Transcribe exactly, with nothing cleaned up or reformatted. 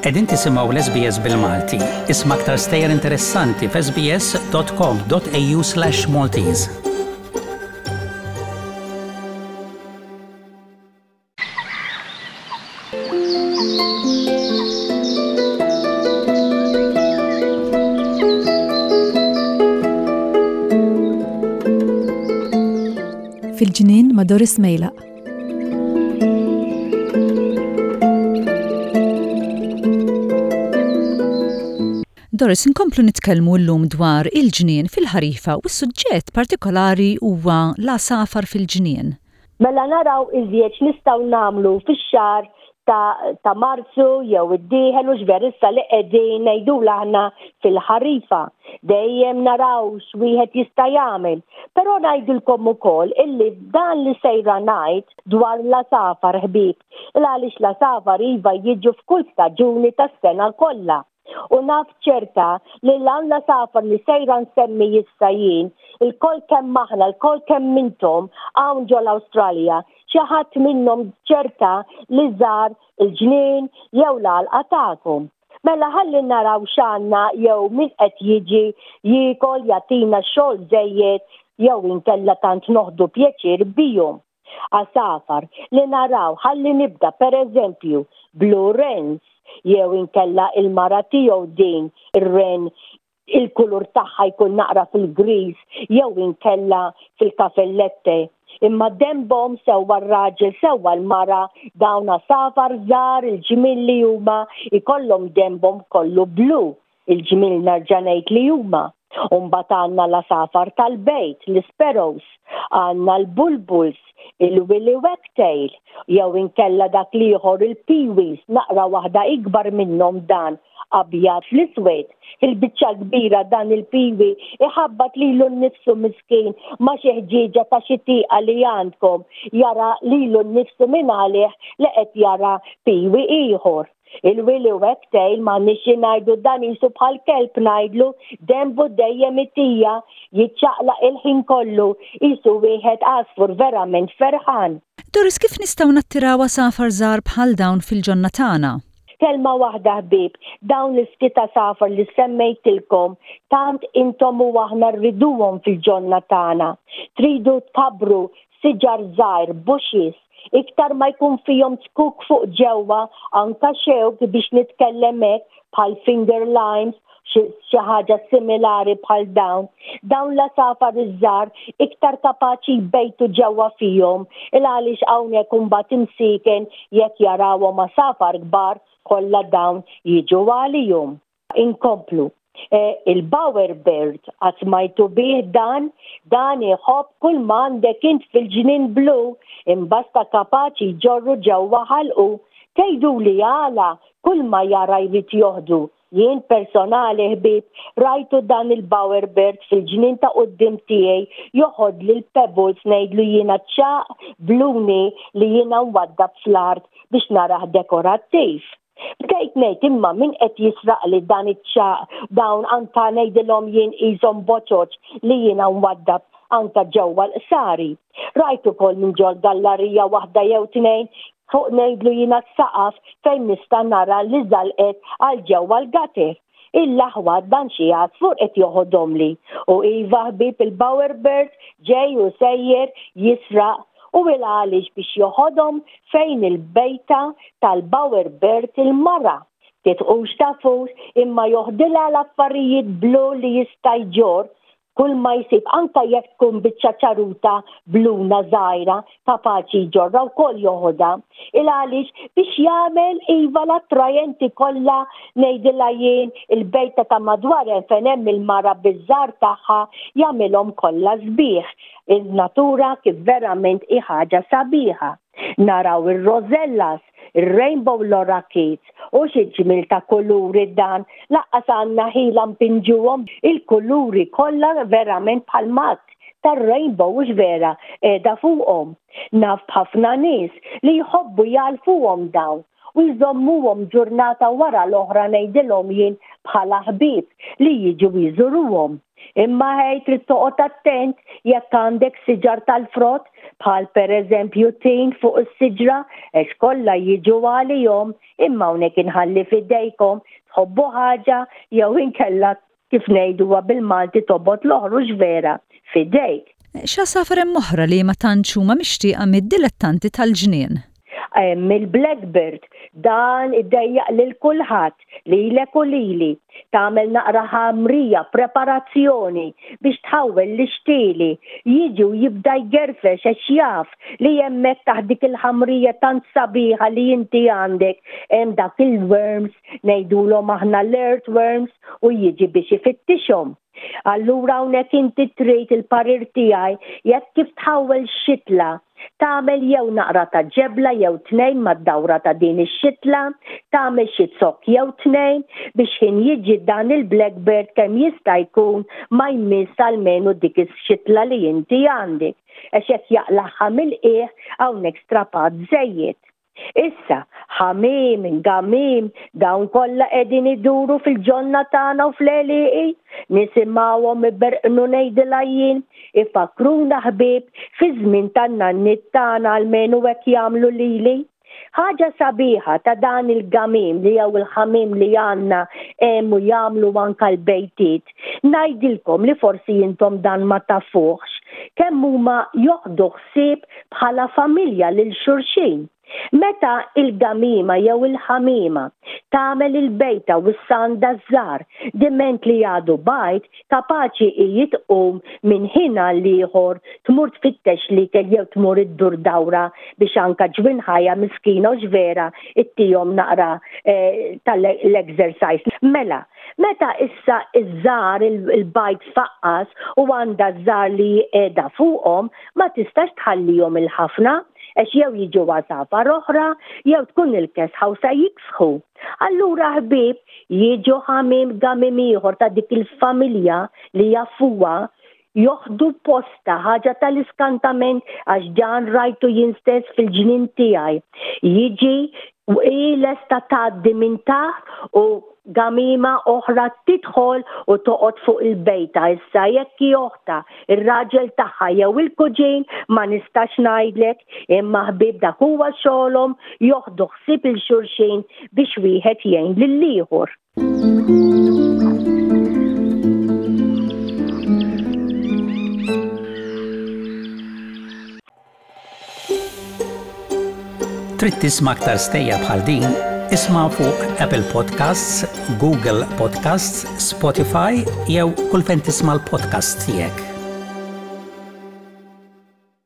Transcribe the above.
Qegħdin tisimgħu l-S B S bil-Malti. Isma' aktar stejjer interessanti f'S B S dot com dot A U slash Maltese. Fil-ġnien ma' Doris Mejlaq. Doris, inkomplu nitkellmu llum dwar il-ġnien fil-ħarifa u s-suġġett partikolari huwa l-għasafar fil-ġnien. Mela naraw iżjed nistgħu nagħmlu fix-xahar ta', ta Marzu jew id-dieħel u x'ver issa li qegħdin ngħidu aħna fil-ħarifa. Dejjem naraw x'wieħed jista' jagħmel. Però ngħidilkom ukoll illi dan li sejra ngħid dwar l-għasafar, ħbieb, il għaliex l-għasafar iva jiġu f'kull staġuni tas-sena kollha. U naf ċerta li l-għasafar li sejra nsemmi issa jien, ilkoll kemm aħna, ilkoll kemm intom hawn ġol Awstralja, xi ħadd minnhom ċerta li żar il-ġnien jew l-għalqa tagħkom. Mela ħalli naraw x'għandna jew min qed jiġi jiekol, jagħtina xogħol żejjed jew inkella tant noħdu pjaċir bihom. Għasafar li naraw, ħalli nibda, per eżempju, blue wrens jew inkella il-mara tiegħu din ir-wren, il-kulur tagħha jkun naqra fil-gris jew inkella fil-kafellette. Imma denbhom, sewwa r-raġel sewwa l-mara, dawn għasafar żgħar il-ġmil li huma ikollhom denbhom kollu blu, il-ġmil nerġa' ngħid li huma. Umbagħad għandna l-għasafar tal-bejt, l-sparrows, għandna l-bulbuls, il-willy wagtail, jew inkella dak l-ieħor il-pewees, naqra waħda ikbar minnhom dan abjad fl-iswed. Il-biċċa kbira dan il-pewee iħabbat lilu nnifsu miskin ma' xi ħġieġa ta' xi tieqa li għandkom, jara lilu nnifsu minn għalih li qed jara pewee ieħor. Il-willy wagtail ma nixi ngħidu, dan qisu bħal kelb ngħidlu, denbu dejjem itija, jiċċaqlaq il-ħin kollu, qisu wieħed għasfur verament ferħan. Doris, kif nistgħu nattiraw għasafar żgħar bħal dawn fil-ġonna tagħna? Kelma waħda, ħbieb, dawn l-ftit għasafar li semmejtilkom, tant intom u aħna rriduhom fil-ġonna tagħna. Tridu tkabbru siġar żgħir, bushes, iktar ma jkun fihom zkuk fuq ġewwa, anka xewk biex nitkellem hekk, bħal finger limes, xi ħaġa similari bħal dawn. Dawn l-għasafar iż-żgħar iktar kapaċi jbejtu ġewwa fihom, il għaliex hawnhekk imbagħad imsiken jekk jarawhom għasafar kbar kollha dawn jiġu għalihom. Inkomplu. E, il-bower bird, qatt smajtu bih dan? Dan iħobb kull ma għandek int fil-ġnien blu, imbasta kapaċi jġorru ġewwa ħalqu. Tgħidu li għala kull ma jara jrid joħdu? Jien personali, ħbieb, rajtu dan il-bower bird fil-ġnien ta' quddiem tiegħi joħod li l-pebbles, ngħidlu jiena ċaq bluni li jiena nwaddab fl-art biex narah dekorattiv. Bdejt ngħid, imma min qed jisraq li dan iċ-ċaq, dawn anka ngħidilhom jien qishom boċoċ li jiena nwaddab anka ġewwa l-qsari. Rajt ukoll minn ġol gallarija waħda jew tnejn fuq, ngħidlu jiena, s-saqaf fejn nista' nara li żalqet għal ġewwa l-gutter. Il-laħwa, dan xi għasfur qed joħodhom li. U iva, ħbieb, il-bower bird ġej u sejjer jisraq u il għaliex biex joħodhom fejn il-bejta tal-bower bird il-mara. Titqux tafux, imma joħdilha l-affarijiet blu li jista' jġorr kull ma jsib, anka jekk tkun biċċa ċaruta bluna żgħira, kapaċi jġorra wkoll joħodha. Il għaliex biex jagħmel iva l-attrajenti kollha, ngħidilha jien, il-bejta ta' madwar hemm fejn hemm il-mara biż-żgħar tagħha, jagħmilhom kollha sbieħ. Il-natura kif verament hi ħaġa sabiħa. Naraw ir-rosellas, il-rainbow lorikeets, u xi ġmil ta' kuluri dan, lanqas għandna ħila npinġuhom il-kuluri kollha, verament bħal mat tar-rainbow, u vera qiegħda fuqhom. Naf b'ħafna nies li jħobbu jgħalfuhom dawn u jżommuhom ġurnata wara l-oħra, ngħidilhom jien, bħala ħbieb li jiġu jżuruhom. Imma ħej trid toqgħod attent jekk għandek siġar tal-frott bħal pereżempju tin fuq is-siġra għax kollha jiġu għalihom imma hawnhekk inħalli f'idejkom tħobbu ħaġa jew inkella kif ngħiduha bil-Malti tobgħod l-oħra hux vera f'idejk. X'għasafar hemm oħra li ma tantx huma mixtieqa mid-dilettanti tal-ġnien? Hemm il-blackbird, dan iddejjaq lil kulħadd, lilek u lili. Tagħmel naqra ħamrija, preparazzjoni biex tħawwel l-ixtieli. Jiġi u jibda jgerfex għax jaf li hemmhekk taħt dik il-ħamrija tant sabiħa li inti għandek hemm dak il-worms, ngħidulhom aħna l-earthworms, u jiġi biex ifittixhom. Allura hawnhekk inti trid il-parir tiegħi jekk kif tħawwel xitla, tagħmel jew naqra ta' ġebla jew tnejn mad-dawra ta' din ix-xitla, tagħmel xi zokk jew tnejn biex ħin jiġi dan il-blackbird kemm jista' jkun ma jmiss almenu dik ix-xitla li inti għandek. Għax jekk jaqlagħha mill-qiegħ hawnhekk strapat żejjed. Issa, ħamiem, gamiem, dawn kollha qegħdin iduru fil-ġonna tagħna u fl-għelieqi, nisimgħuhom iberqnu ngħidilha jien, ifakkruna ħbieb fiż-żmien tan-nanniet tagħna almenu hekk jagħmlu lili. Ħaġa sabiħa ta' dan il-gamiem li jew il-ħamiem li għandna hemm u jagħmlu anke l-bejtiet, ngħidilkom li forsi intom dan ma tafuhx, kemm huma joħdu ħsieb bħala familja lil xulxin. Meta il-gamima jew il-ħamima tagħmel il-bejta u s-sanda żgħar diment li għadu bajd, kapaċi hi tqum minn ħin għal ieħor tmur tfittex l-ikel jew tmur iddur dawra biex anka ġwinħajja miskina u vera ittihom naqra eh, tal-exercise. Mela, meta issa iż-żgħar il-bajd faqqas u għandha żgħar li qiegħda fuqhom, ma tistax tħallihom il-ħafna għax jew jiġu għasafar oħra jew tkun il-kesħa u sa jiksħu. Allura ħbieb jiġu ħamiem gamim ieħor ta' dik il-familja li jafuha joħdu posta ħaġa tal-iskantament għax dan rajtu jien stess fil-ġnien tiegħi. Jiġi u hi lesta tgħaddi minn taħt u gamima oħra tidħol u toqgħod fuq il-bejta. Issa jekk hi oħta, ir-raġel tagħha jew il-kuġin ma nistax ngħidlek, imma ħbieb dak huwa xogħolhom joħdu ħsieb il xulxin biex wieħed jgħin lill-ieħor. Trid tisma' aktar stejjer bħal din? Isma' fuq Apple Podcasts, Google Podcasts, Spotify jew kull fejn tisma' l-podcast tiegħek.